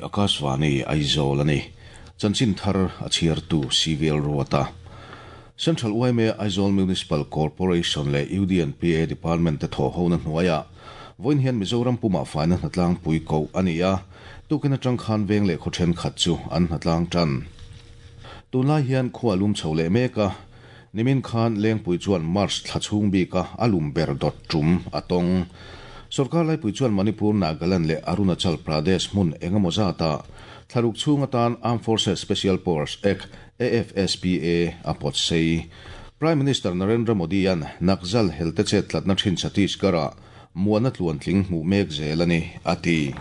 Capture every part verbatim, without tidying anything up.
Akashvani Aizawl ani. Chanchin thar a chhiartu C V L Ruata. Central Y M A, Aizawl Municipal Corporation le U D N P A Department te thaw hona hnuaia voin hian Mizoram puma faina hnatlang pui ko ani a. Tukin atang khan veng le khawthen khat chu an hnatlang tan. Tunlai hian khua lum chho le meka. Nimin khan Lengpui chuan March thlachhung bika alum ber dot tum atong. Sarkar lai pui chuan Manipur, Nagaland le Arunachal Pradesh mun engemaw zata thlaruk chhung atan Armed Forces Special Powers Act, A F S P A, a pawt sei. Prime Minister Narendra Modi an Naxal helte che tlatna thin Chhattisgarh muana tluan tling hmu mek zel ani ati.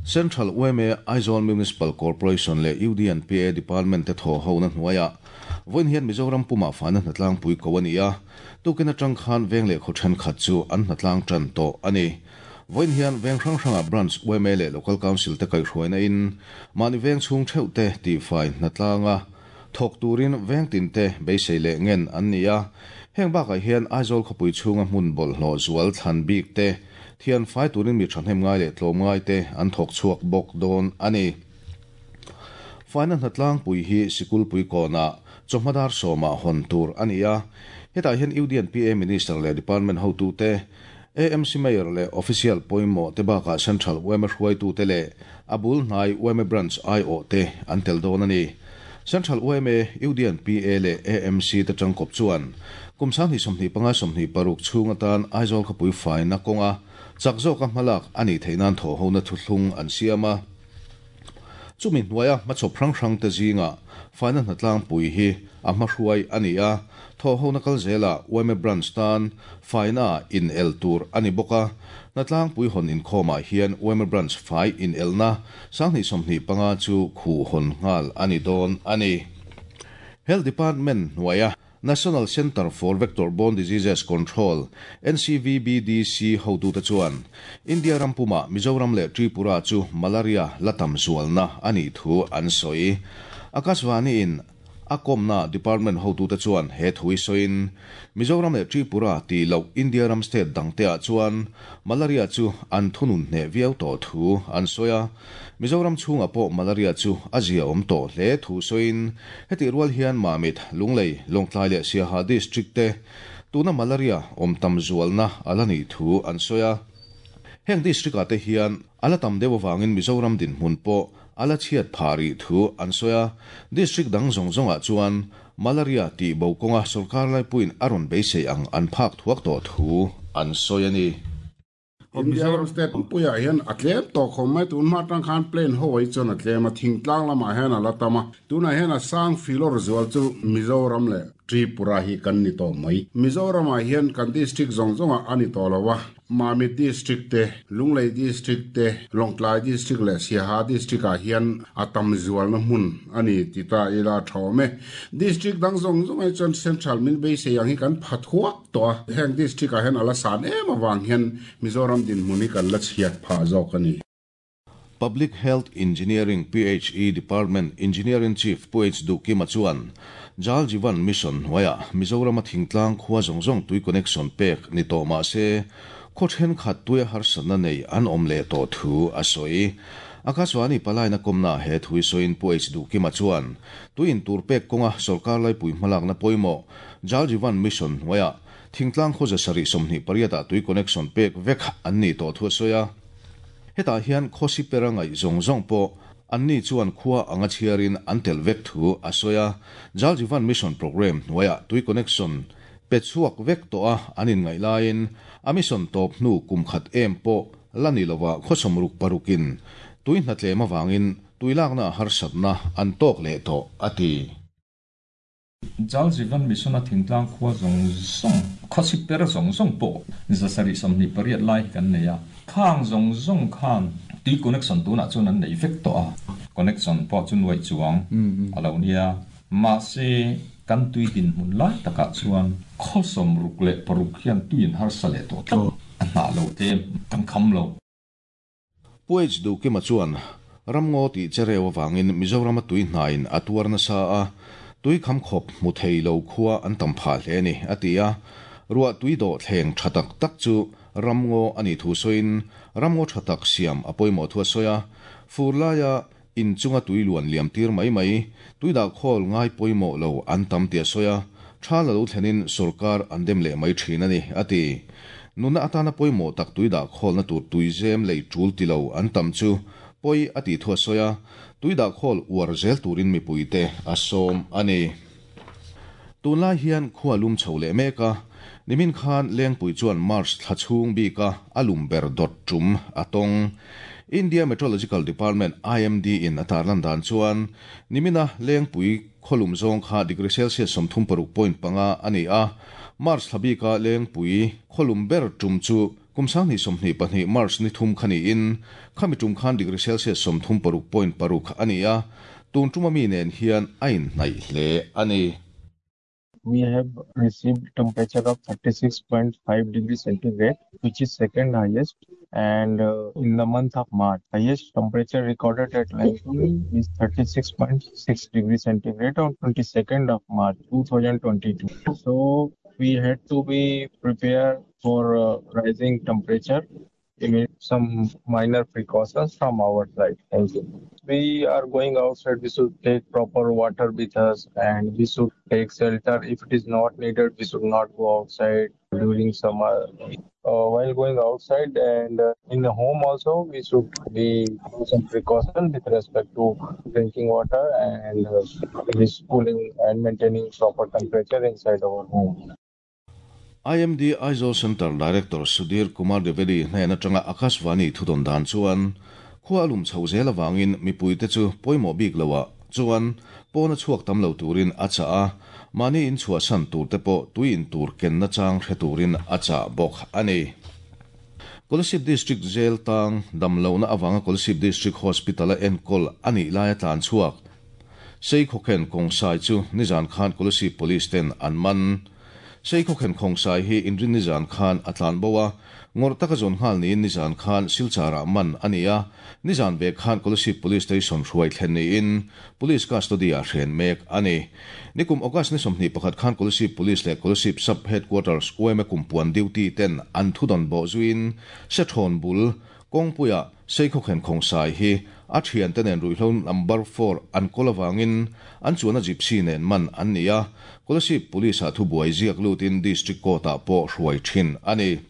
Central Y M A, Aizawl Municipal Corporation le U D N P A Department te thaw ho na hnuaia voin hian Mizoram puma fana hnatlang pui ko ani a. Tukin atang khan veng le khawthen khat chu an hnatlang tan to ani. Voin hian veng hrang hranga branch Y M A le local council te kai hruaina in mani veng chhung theuh te ti fai hnatlanga thok turin veng tin te beisei le ngen an ni a. Heng bakah hian Aizawl khawpui chhunga hmun bawlhhlawh zual thlan bik te thian fai turin mi thahnem ngai leh tlawm ngai te an thawk chhuak bawk dawn ani. Faina hnatlang pui hi sikul pui kawna chawhmadar sawma hawn tur ani a. Hetah hian U D N P A Minister leh Department hotu te, A M C Mayor le official pawimawh te bakah Central Y M A hruaitu te leh abul hnai Y M A branch I O te an tel dawn ani. Central Y M A, U D N P A le A M C te tangkawp chuan kum sang hnih sawmhnih panga sawmhnih paruk chhung atan Aizawl khawpui faina kawnga chak zawka hmalak ani theinan thaw hona thuthlung an siam a. Chumi hnuaia hmachhawp hrang hrang te zinga faina hnatlang pui hi a hmahruai ani a. Thaw hona kal zela Y M A branch tan faina in el tur ani bawk a. Hnatlang pui hawn inkhawmah hian Y M A branch fai in elna sanghnih sawmhnih panga chu khu hawn nghal ani dawn ani. Health Department hnuaia National Center for Vector Borne Diseases Control, N C V B D C, hotu te chuan India rampuma Mizoram le Tripura chu malaria latam zualna ani thu an soi. Akashvani in akomna department hotu te chuan he thui soin Mizoram le Tripura ti lo India ram state dangte a chuan malaria chu an thunun hne viau to thu an soya. Mizoram chhunga pawh malaria chu azia awm tawh hle thu soin heti rual hian Mamit, Lunglei, Lawngtlai leh Siaha district te tuna malaria awm tam zualna ala ni thu an soya. Heng district ah te hian ala tam deuh awangin Mizoram din hmun pawh ala chhiat phari thu an soya. District dang zawng zawngah chuan malaria ti bo kawnga sarkar laipuiin a rawn beisei ang an phak thuak tawh thu an sawi a ni. India ram state puia hian a tlem to khom mai. Tun ma tang khan plain ho ai chon a tlem a, thingtlang lama hian ala tama. Tuna hian a sang filor zual chu Mizoram le Tripura hi kan ni to mai. Mizoram ah hian kan district zong zonga ani to lawa. Mamit district te, Lunglei district te, Lawngtlai district le Siaha district ah hian atam zual na hmun ani tita ila thome. District dang zong zong ai chon central min be se yang hi kan phathuak to. Heng district ah hian ala san em awang hian Mizoram din muni kan la chhiat pha zawk ani. Public Health Engineering, P H E Department Engineering Chief Pu H Dukima chuan Jal Jeevan Mission hnuaia Mizoram a thingtlang khua zawng zawng tui connection pek ni tawh mah se khaw thenkhat tui harsatna nei an awm leh tawh thu a sawi. Akashvani palaina kawmna he thui sawiin Pu H Dukima chuan tuin tur pek kawnga sarkar laipui hmalakna pawimawh Jal Jeevan Mission hnuaia thingtlang khaw zasarih sawmhnih pariatah tui connection pek vek an ni tawh thu a sawi a. Hetah hian khawsi pera ngaih zawng zawng pawh anni chuan khua anga chhiarin an tel vek thu a sawi a. Jal Jeevan Mission program hnuaia tui connection pe chhuak vek tawh a an in ngaih laiin a mission tawp hnu kum khat em pawh la ni lova khawsawm ruk parukin tui hnatlem awangin tui lakna harsatna an tawk leh tawh a ti. Jal Jeevan Mission a thingtlang khua zawng zawng khawsi per zawng zawng pawh zasarih sawmhnih pariat lai hi kan nei a. Khang zawng zawng khan tui connection tunah chuan an nei vek tawh a. Connection pawh chu nuai chuang a lo nia. Mahse kan tui din hmun lai takah chuan khawsawm ruk leh paruk hian tuin harsa leh tawh tlat a hnah lo te kan kham lo. Pu H Dukima chuan ramngaw ti chereu awangin Mizoram a tui hnain a tuar nasa a, tui kham khawp hmu thei lo khua an tam phah hle ni a ti a. Ruah tui dawh thleng tha tak tak chu ramngaw ani thu sawiin ramngaw tha tak siam a pawimawh thu a sawi a. Fur laia In chunga tui luan liam tir mai mai tui dah khawl ngai pawimawh lo an tam tia soya tha la lo thlenin sorkar an dem leh mai thin ani ati nuna atana pawimawh tak tui dah khawl na tur tui zem lei tul tilo an tam chu poi ati thua soya tui dah khawl uar zel turin mi puite a som ani tunlai hian khuwa lum chho leh meka nimin khan lengpui chuan March thlachhung bika alum ber dot tum atong India Meteorological Department I M D in atarlan dan chuan nimina lengpui kholum zong kha degree Celsius somthum paruk point panga ani a March thlabika lengpui kholum ber tum chu kumsang ni somhni pahnih March ni thum khani in khami tum khan degree Celsius somthum paruk point paruk ani a tun tuma mi nen hian ain nai hle ani. We have received temperature of thirty-six point five degrees centigrade, which is second highest. And uh, in the month of March, highest temperature recorded at Lengpui is thirty-six point six degrees centigrade on twenty-second of March two thousand twenty-two. So we had to be prepared for uh, rising temperature. We made some minor precautions from our side. Thank you. We are going outside, we should take proper water with us and we should take shelter. If it is not needed, we should not go outside during summer. Uh, while going outside and uh, in the home also, we should be do some precaution with respect to drinking water and uh, this cooling and maintaining proper temperature inside our home. I M D Aizawl Center Director Sudhir Kumar Devedi hnen atanga Akashvani thudon dan chuan khua alum chho zel awangin mipui te chu pawimawh bik loah chuan pawna chhuak tam lo turin a cha a mani in chhuah san tur te pawh tui in tur ken na chang hre turin a cha bawk ani. Kolasib District Jail tang damlo na awanga Kolasib District Hospital a enkol ani lai a tlan chhuak sei khawkhen kawngsai chu nizan khan Kolasib Police ten an man. Sei khawkhen kawngsai hi inrin nizan khan atlan bowa ngor taka zon ngal ni nizan khan silchara man ania nizan ve khan Kolasib Police Station hruai thlen ni in police custody a hren mek ani nikum August ni somhni pakhat khan Kolasib Police le Kolasib Sub Headquarters U M A kumpuan duty ten an thudon bo zuin se thon bul kongpuya sei khawkhen kawngsai hi a thian te nen ruihhlo number four an kolawangin an chuan a gypsy nen man an nia Kolasib Police a thu buai ziak lutin district court ah pawh hruai thin ani.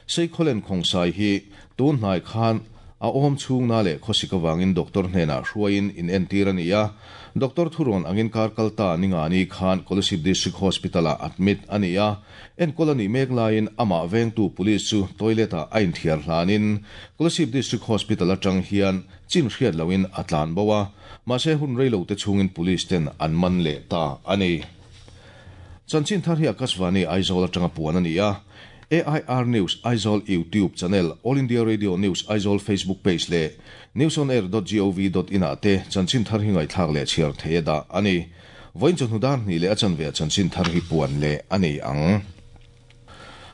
Sei khawlen kawngsai hi tun hnai khan a awm chhung na leh khawsik awangin doctor hnenah hruaiin in entir ani a doctor thuron angin kar kalta ninga ni khan Kolasib District Hospital a admit ani a enkawl ani mek laiin amah vengtu police chu toilet ah a inthiar hlanin Kolasib District Hospital atang hian chin hriat loin a tlan bo a mahse hun reilo te chungin police ten an man leh ta ani. Chanchin thar hi Akashvani Aizawl atanga puan ani a A I R News Aizawl YouTube channel, All India Radio News Aizawl Facebook page le newsonair dot gov dot in ate chanchin thar hi ngai thak le chiar theda ani voin chun hudan ni le achan ve chanchin thar hi puan le ani ang.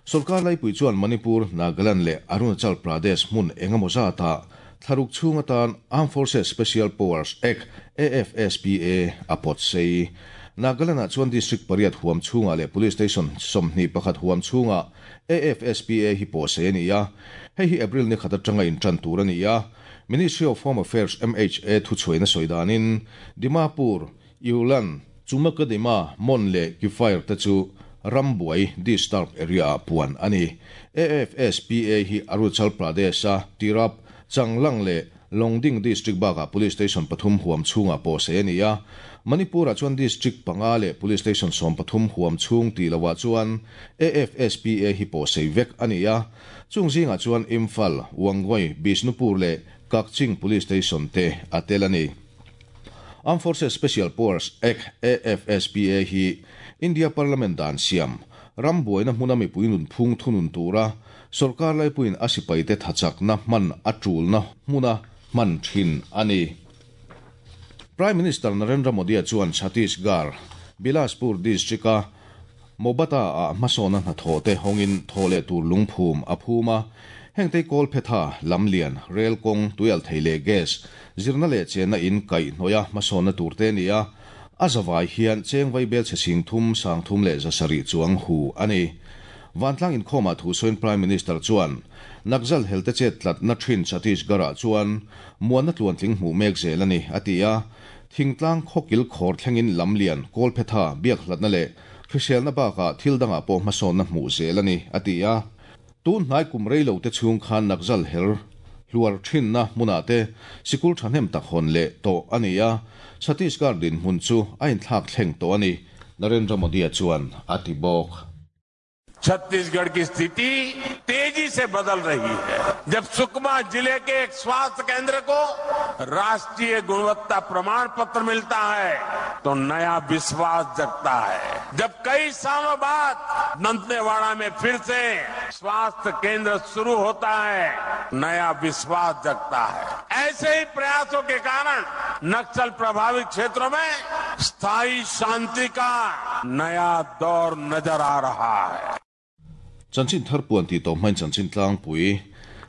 Sarkar lai pui chuan Manipur, Nagaland le Arunachal Pradesh mun engemaw zata tharuk chhung atan Armed Forces Special Powers Act A F S P A apot sei. Nagaland ah chuan district pariat huam chhunga le police station somhni pakhat huam chhunga A F S P A hi pawh se ani a hei hi April ni khat atanga in tan tur ani a Ministry of Home Affairs M H A thu chhuaina sawidanin Dimapur, Yulan, Chumakadima, Mon le Kifair te chu Rambuai disturb area puan ani. A F S P A hi Arunachal Pradesh a Tirap, Changlang le Longding District baka police station pathum huam chhunga pawh se ani a Manipur ah chuan district panga le police station som pathum huam chhung ti lowa chuan A F S P A hi pawh sei vek ani a chung zingah chuan Imphal, Wangoi, Bishnupur le Kakching police station te a tel ani. Armed Forces Special Powers Act A F S P A hi India Parliament dan siam rambuaina hmuna mipui nun phung thunun tura sarkar laipuin a sipai te thachak na hman a tul na hmuna man thin ani. Prime Minister Narendra Modi chuan Chhattisgarh, Bilaspur district a Mobata a hmasawna hnathawh te hawngin thawh leh tur lungphum a phum a hengte kawl phetha lamlian rail kawng tuial thei leh gas zirna leh chenna in kaih hnawih a hmasawna tur te ani a a zawai hian cheng vai bel chhe sing thum sang thum leh zasarih chuang hu ani. Vantlang inkhawmah thu sawiin Prime Minister chuan Naxal helte chet tlatna thin Chhattisgarh-ah chuan muanna tluantling hmuh mek zel a ni, a ti a. Thingtlang khawkil khawr thlengin lamlian, kawlphetha, biakhlatna leh hriselna bakah thil dangah pawh hmasawnna hmuh zel a ni, a ti a. Tun hnai kum rei lo te chhung khan Naxal hel hluar thinna hmunah te sikul thahnem tak hawn leh tawh a ni a, Chhattisgarh dinhmun chu a inthlak thleng tawh a ni, Narendra Modi-a chuan a ti bawk. Chhattisgarh की स्थिति तेजी से बदल रही है। जब सुकमा जिले के एक स्वास्थ्य केंद्र को राष्ट्रीय गुणवत्ता प्रमाण पत्र मिलता है तो नया विश्वास जगता है। जब कई सालों बाद दंतेवाड़ा में फिर से स्वास्थ्य केंद्र शुरू होता है, नया विश्वास जगता है। ऐसे ही प्रयासों के कारण नक्सल प्रभावित क्षेत्रों में स्थायी शांति का नया दौर नजर आ रहा है। Chanchin thar puan tih tawh hmain chanchin tlangpui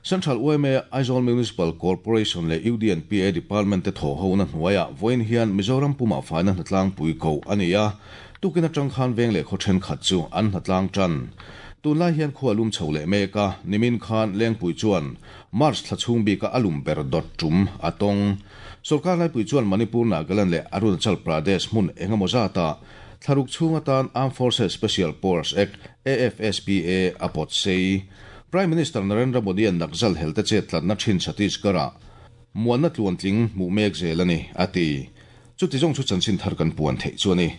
Central Y M A, Aizawl Municipal Corporation leh U D and P A Department te thawh hona hnuaiah vawiin hian Mizoram pumah faina hnatlangpui ko a ni a. Tukin atang khan veng leh khaw thenkhat chu an hnatlang tan. Tunlai hian khua lum chho leh mek a, nimin khan Lengpui chuan March thla chhung bika a lum ber dawt tum a tawng. Sorkar laipui chuan Manipur, Nagaland leh Arunachal Pradesh hmun engemaw zata thlaruk chhung atan Armed Forces Special Powers Act A F S P A a pawt sei. Prime Minister Narendra Modi an Naxal helte chet tlatna thin Chhattisgarh muanna tluantling hmuh mek zel a ni, a ti. Chuti zawng chu chanchin thar kan puan theih chu a ni.